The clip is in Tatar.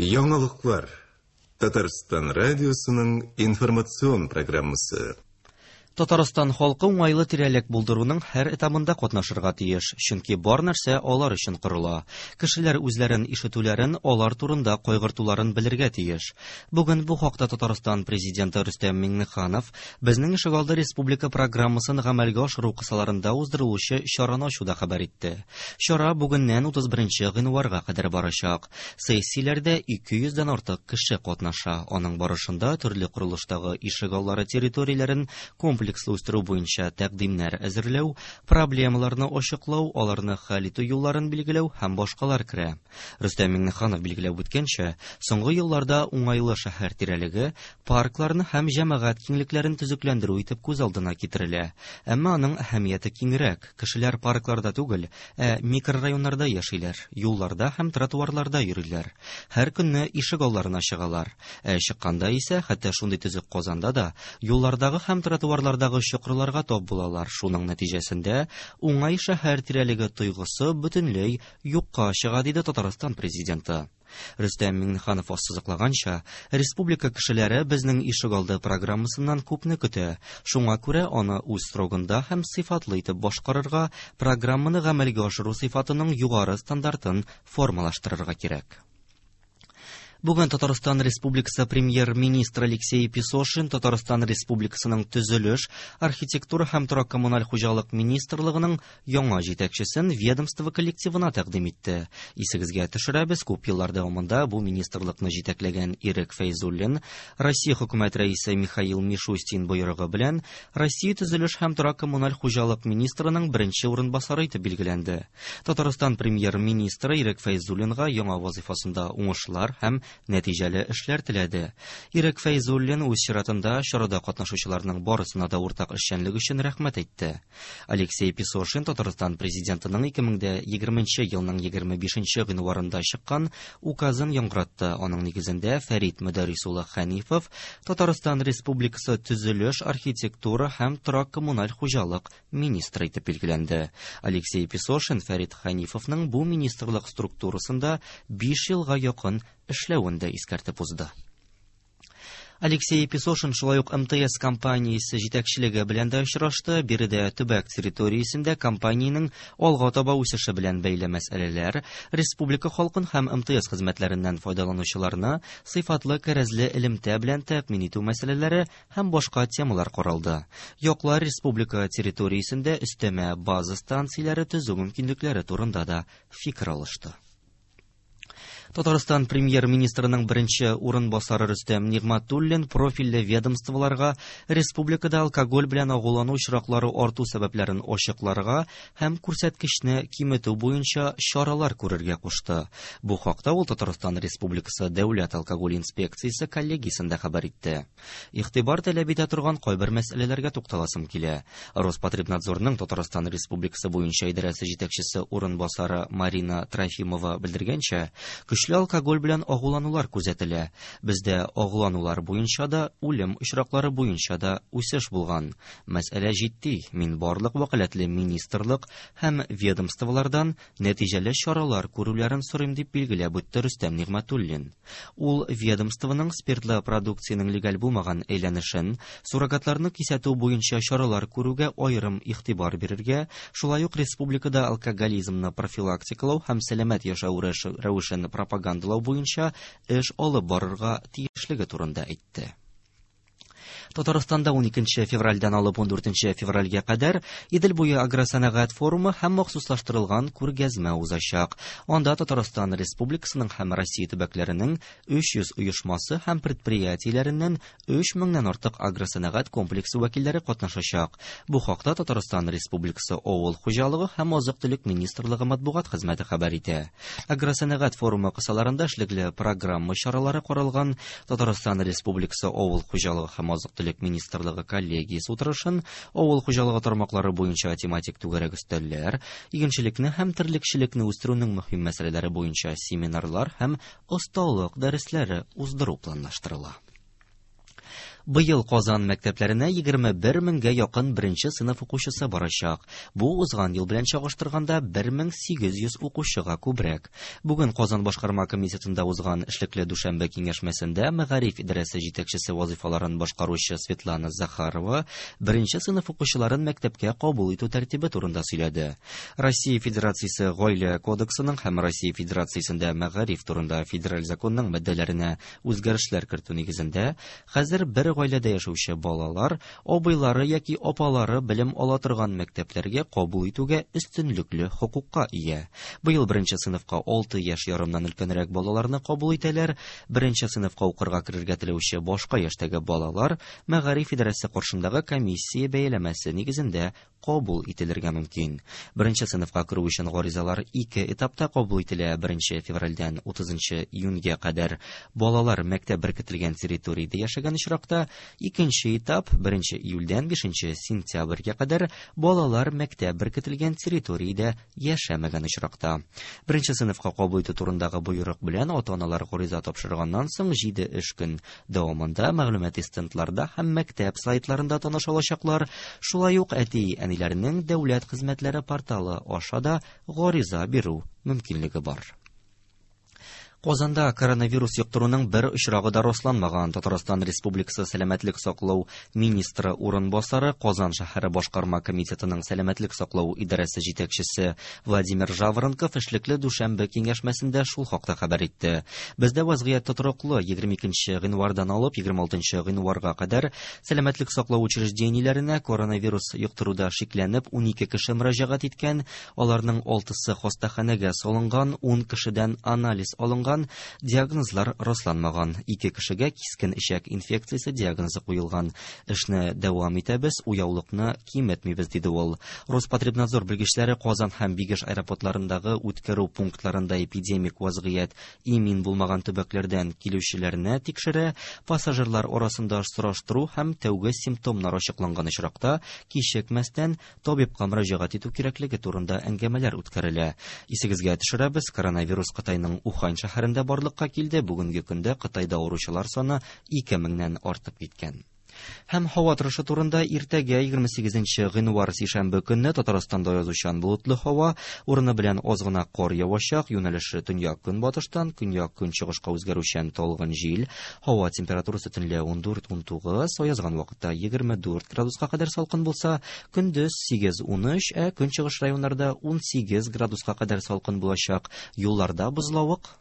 Яңалыклар. Татарстан радиосының информацион программасы. Татарстан халкы уңайлы тирәлек булдыруның һәр этабында катнашырга тиеш, чөнки бар нәрсә алар өчен корыла. Кешеләр үзләрен ишетүләрен, алар турында кайгыртуларын белергә тиеш. Бүген бу хакта Татарстан Президенты Рөстәм Миңнеханов Безнең ишегалды республика программасын гамәлгә ашыру кысаларында уздырылучы чараны ачуда хәбәр итте. Чара бүгеннән 31 гыйнварга кадәр барачак. Сессияләрдә 200 дән артык кеше катнаша. Аның барышында төрле корылыштагы ишегаллары территорияләрен комплекслы үстерү буенча тәкъдимнәр әзерләү, проблемаларны ачыклау, аларны хәл итү юлларын билгеләү һәм башкалар керә. Рөстәм Миңнеханов билгеләп үткәнчә, соңгы елларда уңайлы шәһәр тирәлеге паркларны һәм җәмәгать киңлекләрен төзекләндерү итеп күз алдына китерелә. Әмма аның әһәмияте киңрәк. Кешеләр паркларда түгел, ә микрорайоннарда яшиләр, юлларда һәм тротуарларда йөриләр. Һәр көнне ишек алларына чыгалар. Ә чыкканда исә, хәтта шундый төзек Казанда да, юллардагы һәм тротуарлардагы чокырларга тап булалар. Шуның нәтиҗәсендә уңай шәһәр тирәлеге тойгысы бөтенләй юкка чыга, диде Татарстан Президенты. Рөстәм Миңнеханов ассызыклаганча, республика кешеләре Безнең ишегалды программасыннан күпне көтә, шуңа күрә аны үз срогында һәм сыйфатлы итеп башкарырга, программаны гамәлгә ашыру сыйфатының югары стандартын формалаштырырга кирәк. Бүген Татарстан Республикасы Премьер-министры Алексей Песошин Татарстан Республикасының Төзелеш, архитектура һәм торак-коммуналь хуҗалык министрлыгының яңа җитәкчесен ведомство коллективына тәкъдим итте. Исегезгә төшерәбез, күп еллар дәвамында бу министрлыкны җитәкләгән Ирек Фәйзуллин Россия хөкүмәт рәисе Михаил Мишустин боерыгы белән Россия төзелеш һәм торак-коммуналь хуҗалык министрының беренче урынбасары итеп билгеләнде. Татарстан премьер-министры Ирек Фәйзуллинга яңа вазыйфасында уңышлар һәм нәтиҗәле эшләр теләде. Ирек Фәйзуллин үз чиратында чарада катнашучыларның барысына да уртак эшчәнлек өчен рәхмәт әйтте. Алексей Песошин Татарстан Президентының 2020 елның 25 гыйнварында чыккан указын яңгыратты. Аның нигезендә Фәрит Мөдәррис улы Хәнифов Татарстан Республикасы төзелеш, архитектура һәм торак-коммуналь хуҗалык министры итеп билгеләнде. Алексей Песошин Фәрит Хәнифовның бу министрлык структурасында 5 елга якын эшләвен дә искәртеп узды. Алексей Песошин шулай ук МТС компаниясе җитәкчелеге белән дә очрашты. Биредә төбәк территориясендә компаниянең алга таба үсеше белән бәйле мәсьәләләр, республика халкын һәм МТС хезмәтләреннән файдаланучыларны сыйфатлы кәрәзле элемтә белән тәэмин итү мәсьәләләре һәм башка темалар каралды. Яклар республика территориясендә өстәмә база станцияләре төзү мөмкинлекләре турында да фикер алышты. Татарстан премьер-министрының беренче урынбасары Рөстәм Нигъмәтуллин профильле ведомстволарга республикада алкоголь белән агулану очраклары арту сәбәпләрен ачыкларга һәм күрсәткечне киметү буенча чаралар күрергә кушты. Бу хакта ул Татарстан Республикасы Дәүләт алкоголь инспекциясе коллегиясендә хәбәр итте. Игътибар таләп итә торган кайбер мәсьәләләргә тукталасым килә. Роспотребнадзорның Татарстан Республикасы буенча идарәсе җитәкчесе урынбасары Марина Трофимова белдергәнчә, көчле алкоголь белән агуланулар күзәтелә. Бездә агуланулар буенча да, үлем очраклары буенча да үсеш булган. Мәсьәлә җитди, мин барлык вәкаләтле министрлык һәм ведомстволардан нәтиҗәле чаралар күрүләрен сорыйм, дип билгеләп үтте Рөстәм Нигъмәтуллин. Ул ведомствоның спиртлы продукциянең легаль булмаган әйләнешен, суррогатларны кисәтү буенча чаралар күрүгә аерым игътибар бирергә, шулай ук республикада алкоголизмны профилактикалау һәм сәламәт яшәү рәвешен пропагандалау буенча эш алып барырга тиешлеге турында әйтте. Татарстанда 12 февральдән алып 14 февральгә кадәр Идел буе агросәнәгать форумы һәм махсуслаштырылган күргәзмә узачак. Анда Татарстан Республикасының һәм Россия төбәкләренең 300 оешмасы һәм предприятиеләреннән 3 меңнән артык агросәнәгать комплексы вәкилләре катнашачак. Бу хакта Татарстан Республикасы Авыл хуҗалыгы һәм азык-төлек министрлыгы матбугат хезмәте хәбәр итә. Агросәнәгать форумы кысаларында эшлекле программа чаралары каралган. Татарстан Республикасы Авыл хуҗалыгы һәм азык-төлек министрлыгы коллегиясе утырышын, авыл хуҗалыгы тармаклары буенча тематик түгәрәк өстәлләр, игенчелекне һәм терлекчелекне үстерүнең мөһим мәсьәләләре буенча семинарлар һәм осталык дәресләре уздыру планлаштырыла. Быел Казан мәктәпләренә 21 меңгә якын беренче сыйныф укучысы барачак. Бу узган ел белән чагыштырганда 1800 укучыга күбрәк. Бүген Казан башкарма комитетында узган эшлекле дүшәмбе киңәшмәсендә мәгариф идарәсе җитәкчесе вазыйфаларын башкаручы Светлана Захарова беренче сыйныф укучыларын мәктәпкә кабул итү тәртибе турында сөйләде. Россия Федерациясе Гаилә кодексының һәм Россия Федерациясендә мәгариф турында федераль законның маддәләренә үзгәрешләр кертү нигезендә хәзер бер гаиләдә яшәүче балалар абыйлары яки апалары белем ала торган мәктәпләргә кабул итүгә өстенлекле хокукка ия. Быел беренче сыйныфка 6 яшь ярымнан өлкәнрәк балаларны кабул итәләр. Беренче сыйныфка укырга керергә теләүче башка яшьтәге балалар мәгариф идарәсе каршындагы комиссия бәяләмәсе нигезендә кабул ителергә мөмкин. Беренче сыйныфка керү өчен гаризалар ике этапта кабул ителә. 1 февральдән 30 июньгә кадәр балалар мәктәп беркетелгән территориядә яшәгән очракта, икенче этап 1 июльдән 5 сентябрьгә кадәр балалар мәктәп беркетелгән территориядә яшәмәгән очракта. Беренче сыйныфка кабул итү турындагы боерык белән ата-аналар гариза тапшырганнан соң 7 эш көн дәвамында мәгълүмати стендларда һәм мәктәп сайтларында таныша алачаклар. Шулай ук әти-әниләрнең дәүләт хезмәтләре порталы аша да гариза бирү мөмкинлеге бар. Казанда коронавирус йоктыруның бер очрагы да расланмаган. Татарстан Республикасы Сәламәтлек саклау министры урынбасары, Казан шәһәре башкарма комитетының сәламәтлек саклау идарәсе җитәкчесе Владимир Жаворонков эшлекле дүшәмбе киңәшмәсендә шул хакта хәбәр итте. Бездә вазгыять тотрыклы. 22 гыйнвардан алып 26 гыйнварга кадәр сәламәтлек саклау учреждениеләренә коронавирус йоктыруда шикләнеп 12 кеше мөрәҗәгать иткән. Аларның 6-сы хастаханәгә салынган, 10 кешедән анализ алынган. Диагнозлар расланмаган. 2 кешегә кискен эчәк инфекциясе диагнозы куелган. Эшне дәвам итәбез, уяулыкны киметмибез, диде ул. Роспотребнадзор белгечләре Казан һәм Бигеш аэропортларындагы үткәрү пунктларында эпидемик вазгыять имин булмаган төбәкләрдән килүчеләрне тикшерә, пассажирлар арасында сораштыру һәм тәүге симптомнар ачыкланган очракта кичекмәстән табибка мөрәҗәгать итү кирәклеге турында әңгәмәләр үткәрелә. Исегезгә төшерәбез, коронавирус Кытайның Ухань шәһәрендә барлыкка килде. Бүгенге көндә Кытайда авыручылар саны 2000-нән артып киткән. Һәм һава торышы турында иртәгә 28 гыйнвар сишәмбе көнне Татарстанда язучан болытлы һава, урыны белән аз гына кар явачак, юнәлеше төньяк-көнбатыштан көньяк-көнчыгышка үзгәрүчән талгын җил, һава температурасы төнлә 14-19, аязган вакытта 24 градуска кадәр салкын булса, көндез 8-13, ә көнчыгыш районнарда 18 градуска кадәр салкын булачак. Юлларда бозлавык.